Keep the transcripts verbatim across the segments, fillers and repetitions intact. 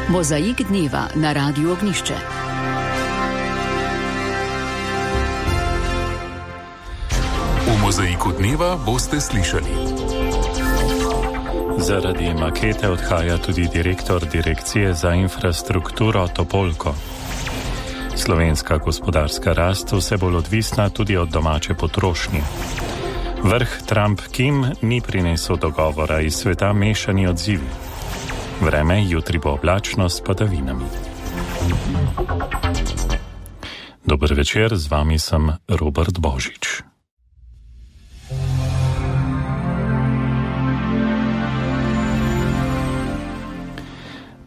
Mozaik dneva na Radiu Ognjišče. V Mozaiku dneva boste slišali. Zaradi makete odhaja tudi direktor Direkcije za infrastrukturo Topolko. Slovenska gospodarska rast vse bolj odvisna tudi od domače potrošnje. Vrh Trump-Kim ni prinesel dogovora, iz sveta mešani odzivi. Vreme jutri bo oblačno s padavinami. Dober večer, z vami sem Robert Božič.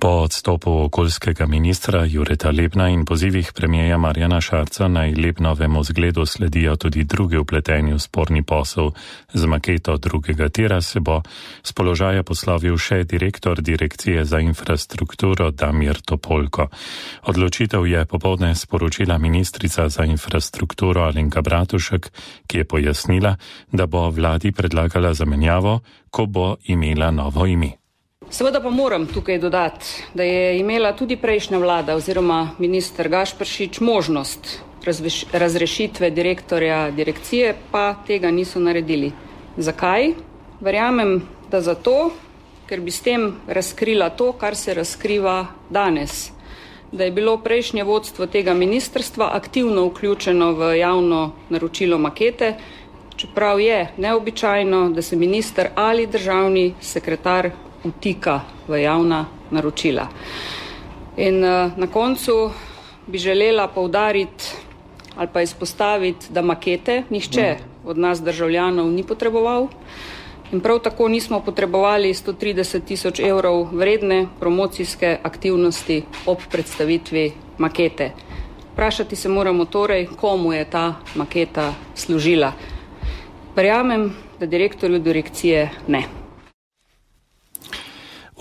Po odstopu okoljskega ministra Jureta Lebna in pozivih premijeja Marjana Šarca naj Lebnovemu zgledu sledijo tudi drugi vpleteni v sporni posel z maketo drugega tira, se bo s položaja poslovil še direktor Direkcije za infrastrukturo Damir Topolko. Odločitev je popoldne sporočila ministrica za infrastrukturo Alenka Bratušek, ki je pojasnila, da bo vladi predlagala zamenjavo, ko bo imela novo ime. Seveda pa moram tukaj dodati, da je imela tudi prejšnja vlada oziroma minister Gašperšič možnost razrešitve direktorja direkcije, pa tega niso naredili. Zakaj? Verjamem, da zato, ker bi s tem razkrila to, kar se razkriva danes. Da je bilo prejšnje vodstvo tega ministrstva aktivno vključeno v javno naročilo makete, čeprav je neobičajno, da se minister ali državni sekretar vtika v javna naročila. In uh, na koncu bi želela poudariti ali pa izpostaviti, da makete nihče od nas državljanov ni potreboval in prav tako nismo potrebovali sto trideset tisoč evrov vredne promocijske aktivnosti ob predstavitvi makete. Vprašati se moramo torej, komu je ta maketa služila. Verjamem, da direktorju direkcije ne.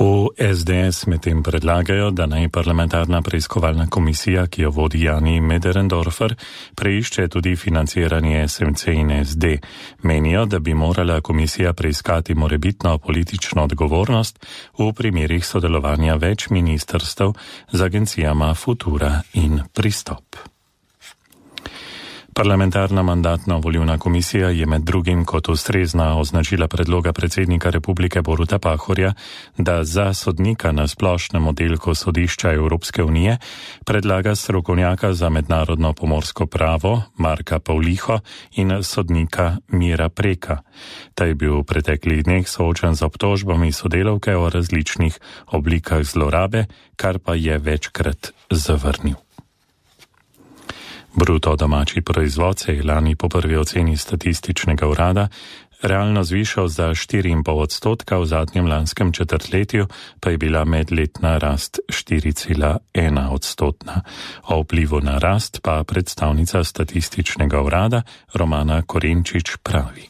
V es de es medtem predlagajo, da naj parlamentarna preiskovalna komisija, ki jo vodi Jani Möderndorfer, preišče tudi financiranje es em ce in es de. Menijo, da bi morala komisija preiskati morebitno politično odgovornost v primerih sodelovanja več ministrstev z agencijama Futura in Pristop. Parlamentarna mandatno-volilna komisija je med drugim kot ustrezna označila predloga predsednika Republike Boruta Pahorja, da za sodnika na splošnem oddelku sodišča Evropske unije predlaga strokovnjaka za mednarodno pomorsko pravo Marka Pavliho in sodnika Mira Preka. Ta je bil v preteklih dneh soočen z obtožbami sodelavke o različnih oblikah zlorabe, kar pa je večkrat zavrnil. Bruto domači proizvod se je lani po prvi oceni statističnega urada realno zvišal za štiri in pol odstotka, v zadnjem lanskem četrtletju pa je bila medletna rast štiri cela ena odstotna. O vplivu na rast pa predstavnica statističnega urada Romana Korenčič pravi.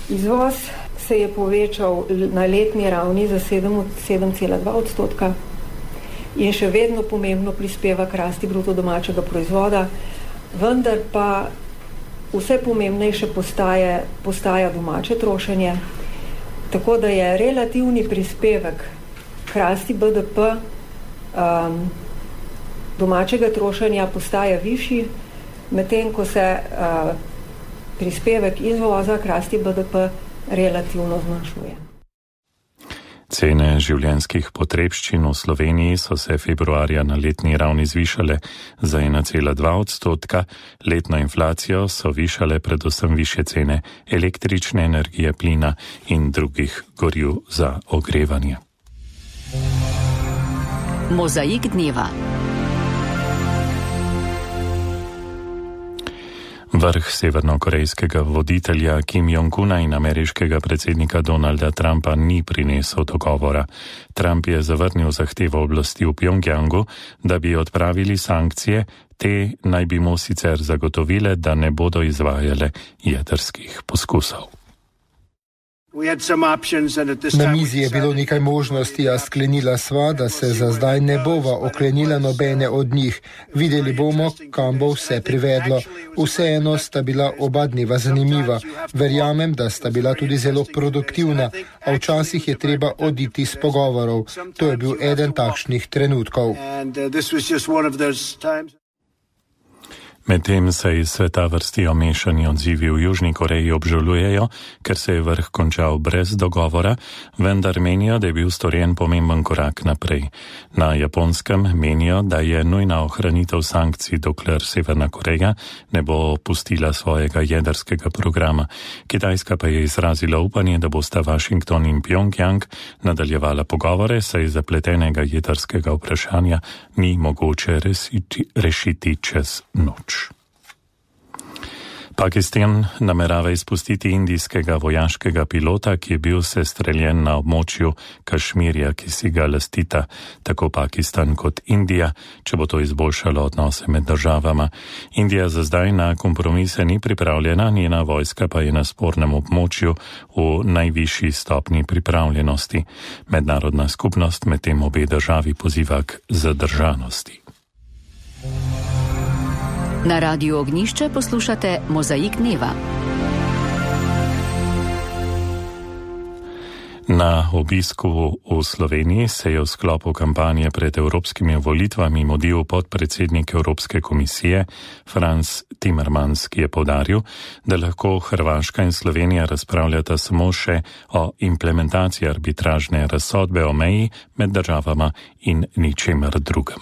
Izvoz se je povečal na letni ravni za sedem cela dva odstotka in še vedno pomembno prispeva k rasti bruto domačega proizvoda, vendar pa vse pomembnejše postaje, postaja domače trošenje, tako da je relativni prispevek k rasti be de pe um, domačega trošenja postaja višji, medtem ko se uh, prispevek izvoza k rasti be de pe relativno zmanjšuje. Cene življenjskih potrebščin v Sloveniji so se februarja na letni ravni zvišale za ena cela dva odstotka, letno inflacijo so višale predvsem višje cene električne energije, plina in drugih goriv za ogrevanje. Mozaik dneva. Vrh severnokorejskega voditelja Kim Jong-una in ameriškega predsednika Donalda Trumpa ni prinesel dogovora. Trump je zavrnil zahtevo oblasti v Pjongjangu, da bi odpravili sankcije, te naj bi mu sicer zagotovile, da ne bodo izvajale jedrskih poskusov. Na mizi je bilo nekaj možnosti, a sklenila sva, da se za zdaj ne bova oklenila nobene od njih. Videli bomo, kam bo vse privedlo. Vseeno sta bila oba dneva zanimiva. Verjamem, da sta bila tudi zelo produktivna, a včasih je treba oditi z pogovorov. To je bil eden takšnih trenutkov. Medtem se iz sveta vrstijo mešani odzivi. V Južni Koreji obžalujejo, ker se je vrh končal brez dogovora, vendar menijo, da je bil storjen pomemben korak naprej. Na Japonskem menijo, da je nujna ohranitev sankcij, dokler Severna Koreja ne bo pustila svojega jedrskega programa. Kitajska pa je izrazila upanje, da bosta Washington in Pjongjang nadaljevala pogovore, saj zapletenega jedrskega vprašanja ni mogoče resiti, rešiti čez noč. Pakistan namerava izpustiti indijskega vojaškega pilota, ki je bil sestreljen na območju Kašmirja, ki si ga lastita tako Pakistan kot Indija, če bo to izboljšalo odnose med državama. Indija za zdaj na kompromise ni pripravljena, njena vojska pa je na spornem območju v najvišji stopni pripravljenosti. Mednarodna skupnost medtem obe državi poziva k zadržanosti. Na Radiu Ognjišče poslušate Mozaik dneva. Na obisku v Sloveniji se je v sklopu kampanje pred evropskimi volitvami mudil podpredsednik Evropske komisije Frans Timmermans, ki je poudaril, da lahko Hrvaška in Slovenija razpravljata samo še o implementaciji arbitražne razsodbe o meji med državama in ničemer drugem.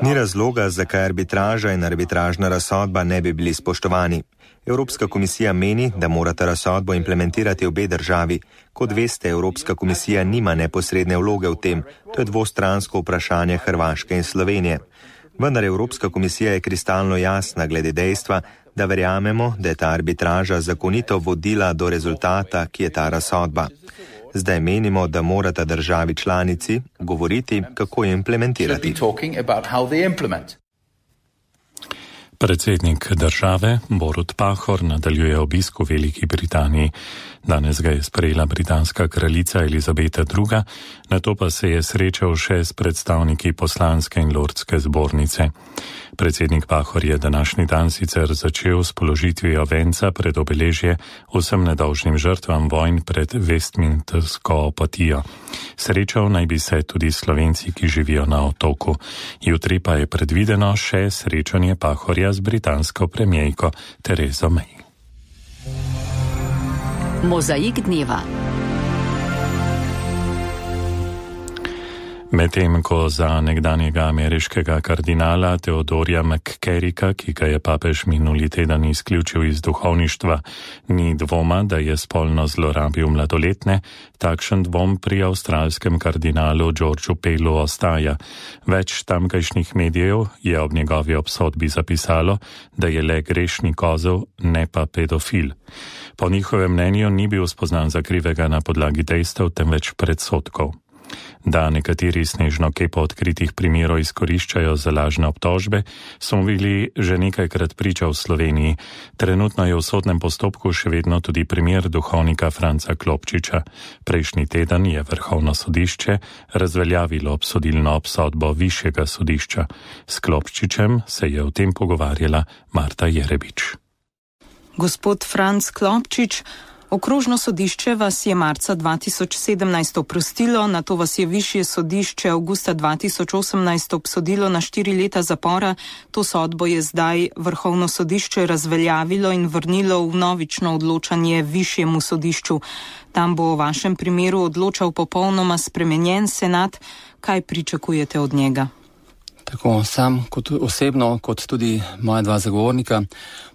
Ni razloga, zakaj arbitraža in arbitražna razsodba ne bi bili spoštovani. Evropska komisija meni, da morata razsodbo implementirati obe državi. Kot veste, Evropska komisija nima neposredne vloge v tem. To je dvostransko vprašanje Hrvaške in Slovenije. Vendar Evropska komisija je kristalno jasna glede dejstva, da verjamemo, da je ta arbitraža zakonito vodila do rezultata, ki je ta razsodba. Zdaj menimo, da morata državi članici govoriti, kako jo implementirati. Predsednik države Borut Pahor nadaljuje obisk v Veliki Britaniji. Danes ga je sprejela britanska kraljica Elizabeta druga, nato pa se je srečal še s predstavniki poslanske in lordske zbornice. Predsednik Pahor je današnji dan sicer začel s položitvijo venca pred obeležje vsem nedolžnim žrtvam vojn pred Westminstersko apatijo. Srečal naj bi se tudi Slovenci, ki živijo na otoku. Jutri pa je predvideno še srečanje Pahorja z britansko premijejko Terezo May. Mozaik dneva. Medtem ko za nekdanjega ameriškega kardinala Theodorja McCarricka, ki ga je papež minuli teden izključil iz duhovništva, ni dvoma, da je spolno zlorabil mladoletne, takšen dvom pri avstralskem kardinalu Georgeu Pelu ostaja. Več tamkajšnjih medijev je ob njegovi obsodbi zapisalo, da je le grešni kozel, ne pa pedofil. Po njihovem mnenju ni bil spoznan za krivega na podlagi dejstev, temveč predsodkov. Da nekateri snežno kepo odkritih primerov izkoriščajo za lažne obtožbe, smo bili že nekajkrat priča v Sloveniji. Trenutno je v sodnem postopku še vedno tudi primer duhovnika Franca Klopčiča. Prejšnji teden je Vrhovno sodišče razveljavilo obsodilno obsodbo višjega sodišča. S Klopčičem se je o tem pogovarjala Marta Jerebič. Gospod Franc Klopčič, Okrožno sodišče vas je marca dva tisoč sedemnajst oprostilo, nato vas je višje sodišče avgusta dva tisoč osemnajst obsodilo na štiri leta zapora. To sodbo je zdaj Vrhovno sodišče razveljavilo in vrnilo v vnovično odločanje višjemu sodišču. Tam bo o vašem primeru odločal popolnoma spremenjen senat. Kaj pričakujete od njega? Tako sam kot osebno, kot tudi moja dva zagovornika,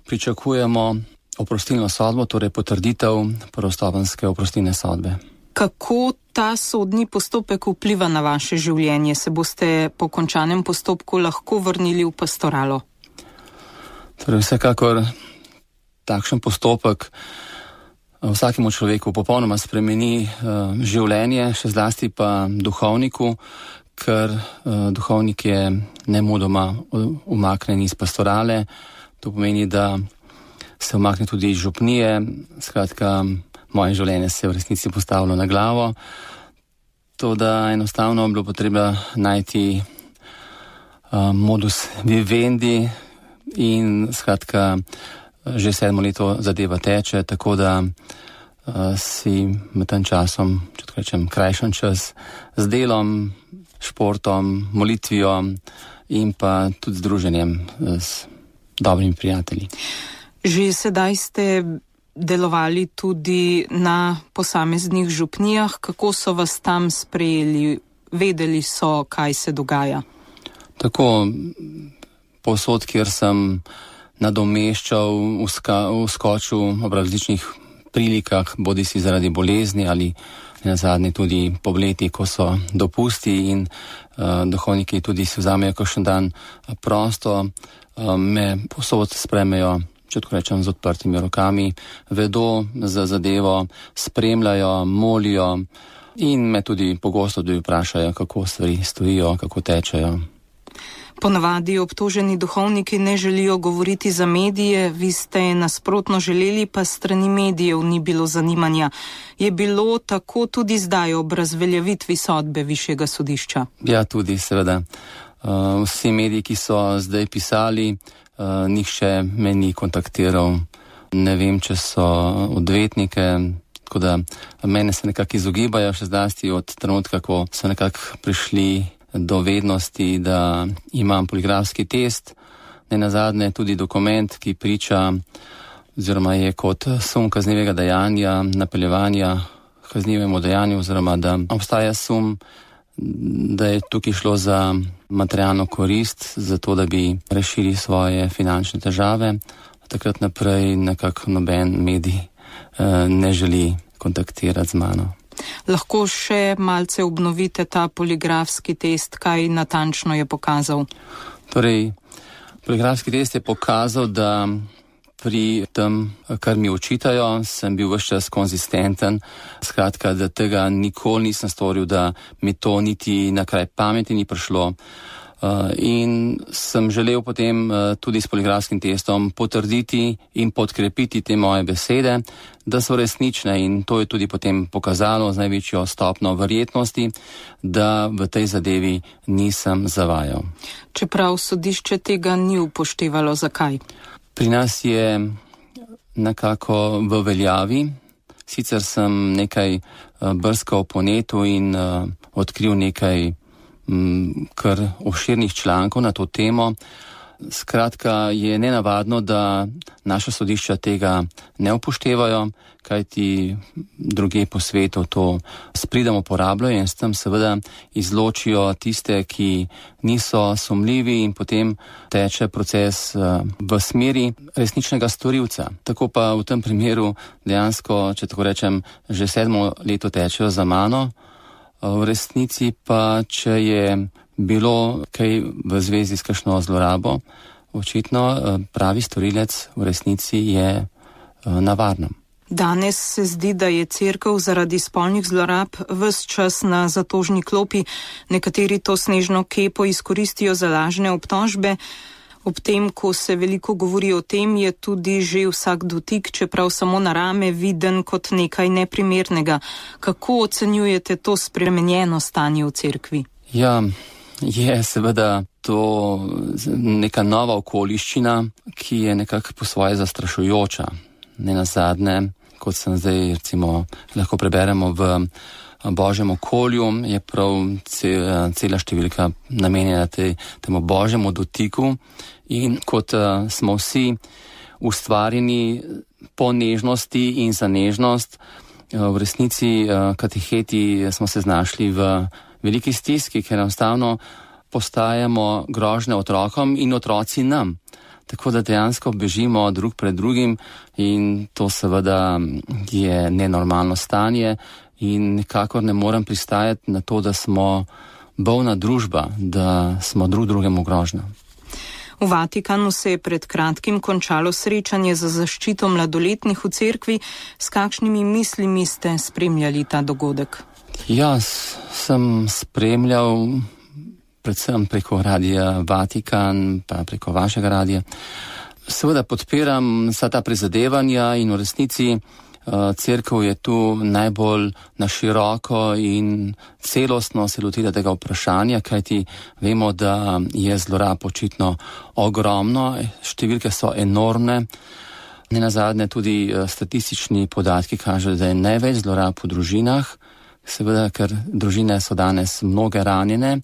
pričakujemo oprostilno sodbo, torej potrditev prvostopenjske oprostilne sodbe. Kako ta sodni postopek vpliva na vaše življenje? Se boste po končanem postopku lahko vrnili v pastoralo? Torej vsekakor takšen postopek vsakemu človeku popolnoma spremeni uh, življenje, še zlasti pa duhovniku, ker uh, duhovnik je nemudoma umaknen iz pastorale. To pomeni, da se umakne tudi iz župnije. Skratka, moje življenje se je v resnici postavilo na glavo. To, da enostavno bilo potreba najti uh, modus vivendi in skratka, že sedmo leto zadeva teče, tako da uh, si med tem časom, če tako rečem, krajšan čas z delom, športom, molitvijo in pa tudi z druženjem s dobrimi prijatelji. Že sedaj ste delovali tudi na posameznih župnijah. Kako so vas tam sprejeli? Vedeli so, kaj se dogaja? Tako, povsod, kjer sem nadomeščal, uskočil ob različnih prilikah, bodi si zaradi bolezni ali na zadnje tudi po leti, ko so dopusti in uh, duhovniki tudi si vzamejo kakšen dan prosto, uh, me povsod spremejo, če tako rečem, z odprtimi rokami, vedo za zadevo, spremljajo, molijo in me tudi pogosto tudi vprašajo, kako stvari stojijo, kako tečejo. Ponavadi obtoženi duhovniki ne želijo govoriti za medije, vi ste nasprotno želeli, pa strani medijev ni bilo zanimanja. Je bilo tako tudi zdaj ob razveljavitvi sodbe Višjega sodišča? Ja, tudi, seveda. Uh, vsi mediji, ki so zdaj pisali, uh, nihče me ni kontaktiral. Ne vem, če so odvetnike, tako da mene se nekako izogibajo, še zlasti od trenutka, ko so nekako prišli do vednosti, da imam poligrafski test, ne nazadnje tudi dokument, ki priča oziroma je kot sum kaznivega dejanja, napeljevanja kaznivemu dejanju oziroma da obstaja sum, da je tukaj šlo za materialno korist, zato da bi rešili svoje finančne težave. Takrat naprej nekako noben medij eh, ne želi kontaktirati z mano. Lahko še malce obnovite ta poligrafski test, kaj natančno je pokazal? Torej, poligrafski test je pokazal, da pri tem, kar mi očitajo, sem bil ves čas konzistenten, skratka, da tega nikoli nisem storil, da mi to niti na kraj pameti ni prišlo. Uh, in sem želel potem uh, tudi s poligrafskim testom potrditi in podkrepiti te moje besede, da so resnične, in to je tudi potem pokazalo z največjo stopno verjetnosti, da v tej zadevi nisem zavajal. Čeprav sodišče tega ni upoštevalo, zakaj? Pri nas je nekako v veljavi. Sicer sem nekaj uh, brskal po netu in uh, odkril nekaj kar obširnih člankov na to temo. Skratka, je nenavadno, da naša sodišča tega ne upoštevajo, kajti druge po svetu to s pridom uporabljajo in s tem seveda izločijo tiste, ki niso sumljivi, in potem teče proces v smeri resničnega storilca. Tako pa v tem primeru dejansko, če tako rečem, že sedmo leto tečejo za mano. V resnici pa, če je bilo kaj v zvezi s kakšno zlorabo, očitno pravi storilec v resnici je na varnem. Danes se zdi, da je cerkev zaradi spolnih zlorab ves čas na zatožni klopi. Nekateri to snežno kepo izkoristijo za lažne obtožbe. Ob tem, ko se veliko govori o tem, je tudi že vsak dotik, čeprav samo na rame, viden kot nekaj neprimernega. Kako ocenjujete to spremenjeno stanje v cerkvi? Ja, je seveda to neka nova okoliščina, ki je nekako po svoje zastrašujoča. Ne nazadnje, kot sem zdaj recimo lahko preberemo v Božjem okolju, je prav cela številka namenjena te, temu Božjemu dotiku, in kot uh, smo vsi ustvarjeni po nežnosti in za nežnost, uh, v resnici uh, kateheti smo se znašli v veliki stiski, ker enostavno postajamo grožnje otrokom in otroci nam. Tako da dejansko bežimo drug pred drugim, in to seveda je nenormalno stanje. In nikakor ne morem pristajati na to, da smo bolna družba, da smo drug drugemu grožnja. V Vatikanu se je pred kratkim končalo srečanje za zaščito mladoletnih v cerkvi. S kakšnimi mislimi ste spremljali ta dogodek? Jaz sem spremljal predvsem preko radia Vatikan, pa preko vašega radia. seveda podpiram vsa ta prizadevanja in v resnici Cerkev je tu najbolj na široko in celostno se lotila tega vprašanja, kajti vemo, da je zlorab očitno ogromno, številke so enormne. Nenazadnje tudi statistični podatki kažejo, da je največ zlorab v družinah, seveda, ker družine so danes mnoge ranjene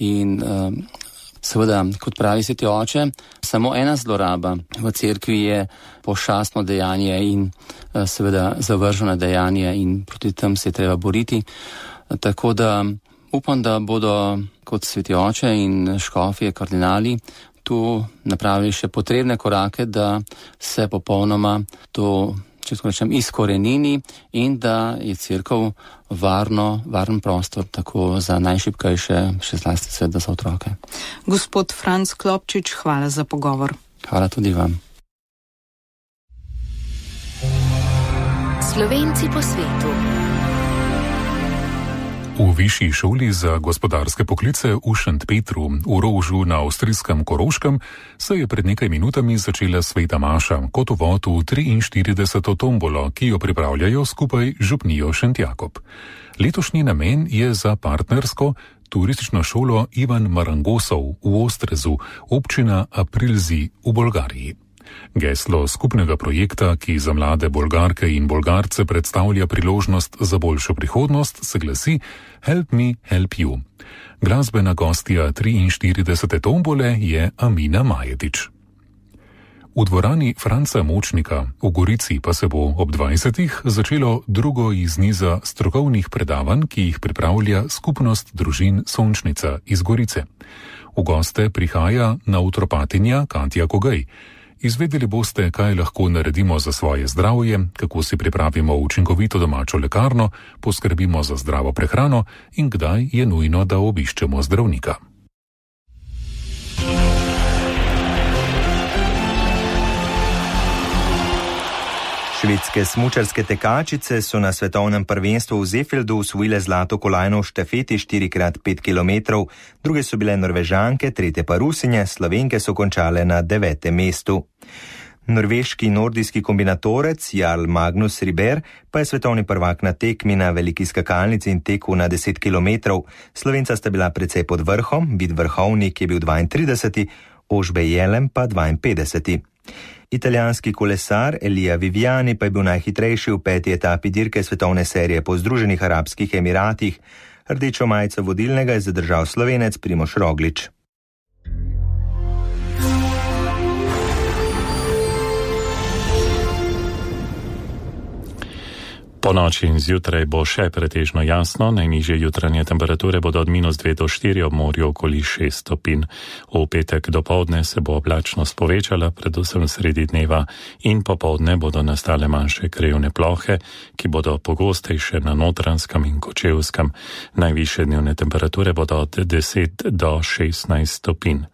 in seveda, kot pravi sveti oče, samo ena zloraba v cerkvi je pošastno dejanje in seveda zavrženo dejanje in proti tem se je treba boriti. Tako da upam, da bodo kot sveti oče in škofje, kardinali tu napravili še potrebne korake, da se popolnoma to, če tako rečem, izkorenini in da je cerkev varno, varen prostor tako za najšibkejše, še zlasti seveda za otroke. Gospod Franc Klopčič, hvala za pogovor. Hvala tudi vam. Slovenci po svetu. V Višji šoli za gospodarske poklice v Šentpetru v Rožu na avstrijskem Koroškem se je pred nekaj minutami začela sveta maša kot uvod v triinštirideseto tombolo, ki jo pripravljajo skupaj z župnijo Šentjakob. Letošnji namen je za partnersko turistično šolo Ivan Marangosov v Ostrezu, občina Aprilzi v Bolgariji. Geslo skupnega projekta, ki za mlade Bolgarke in Bolgarce predstavlja priložnost za boljšo prihodnost, se glasi Help me, help you. Glasbena gostja triinštiridesete tombole je Amina Majetič. V dvorani Franca Močnika v Gorici pa se bo ob dvajsetih začelo drugo iz niza strokovnih predavanj, ki jih pripravlja skupnost družin Sončnica iz Gorice. V goste prihaja naturopatinja Katja Kogej. Izvedeli boste, kaj lahko naredimo za svoje zdravje, kako si pripravimo učinkovito domačo lekarno, poskrbimo za zdravo prehrano in kdaj je nujno, da obiščemo zdravnika. Švedske smučarske tekačice so na svetovnem prvenstvu v Zeefeldu osvojile zlato kolajno v štafeti štiri krat pet kilometrov, druge so bile Norvežanke, tretje pa Rusinje, Slovenke so končale na devetem mestu. Norveški nordijski kombinatorec Jarl Magnus Riber pa je svetovni prvak na tekmi na veliki skakalnici in teku na deset kilometrov. Slovenca sta bila precej pod vrhom, Vid Vrhovnik je bil dvaintrideseti, Ožbe Jelem pa dvainpetdeseti. Italijanski kolesar Elia Viviani pa je bil najhitrejši v peti etapi dirke svetovne serije po Združenih arabskih emiratih. Rdečo majico vodilnega je zadržal Slovenec Primož Roglič. Po noči in zjutraj bo še pretežno jasno, najnižje jutranje temperature bodo od minus dve do štiri, ob morju okoli šest stopinj. V petek dopoldne se bo oblačnost povečala, predvsem sredi dneva, in popoldne bodo nastale manjše krajevne plohe, ki bodo pogostejše na Notranjskem in Kočevskem. Najvišje dnevne temperature bodo od deset do šestnajst stopinj.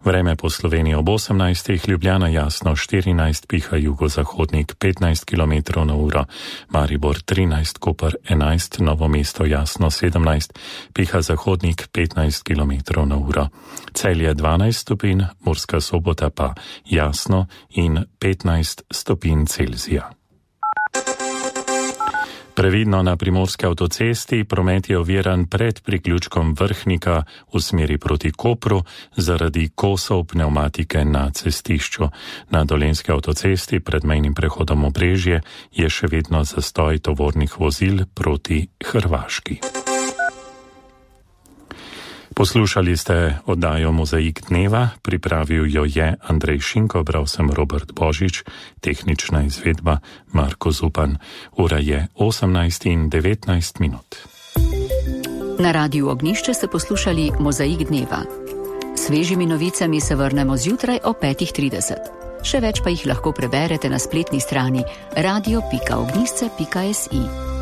Vreme po Sloveniji ob osemnajstih, Ljubljana jasno štirinajst, piha jugozahodnik petnajst kilometrov na uro, Maribor trinajst, Koper enajst, Novo mesto jasno sedemnajst, piha zahodnik petnajst kilometrov na uro, Celje dvanajst stopinj, Murska Sobota pa jasno in petnajst stopinj Celzija. Previdno na primorski avtocesti, promet je oviran pred priključkom Vrhnika v smeri proti Kopru zaradi kosov pnevmatike na cestišču. Na dolenski avtocesti pred mejnim prehodom Obrežje je še vedno zastoj tovornih vozil proti Hrvaški. Poslušali ste oddajo Mozaik dneva, pripravil jo je Andrej Šinko, bral sem Robert Božič, tehnična izvedba Marko Zupan. Ura je osemnajst in devetnajst minut. Na Radiu Ognjišče ste poslušali Mozaik dneva. Svežimi novicami se vrnemo zjutraj o petih trideset. Še več pa jih lahko preberete na spletni strani radio pika ognjišče pika si.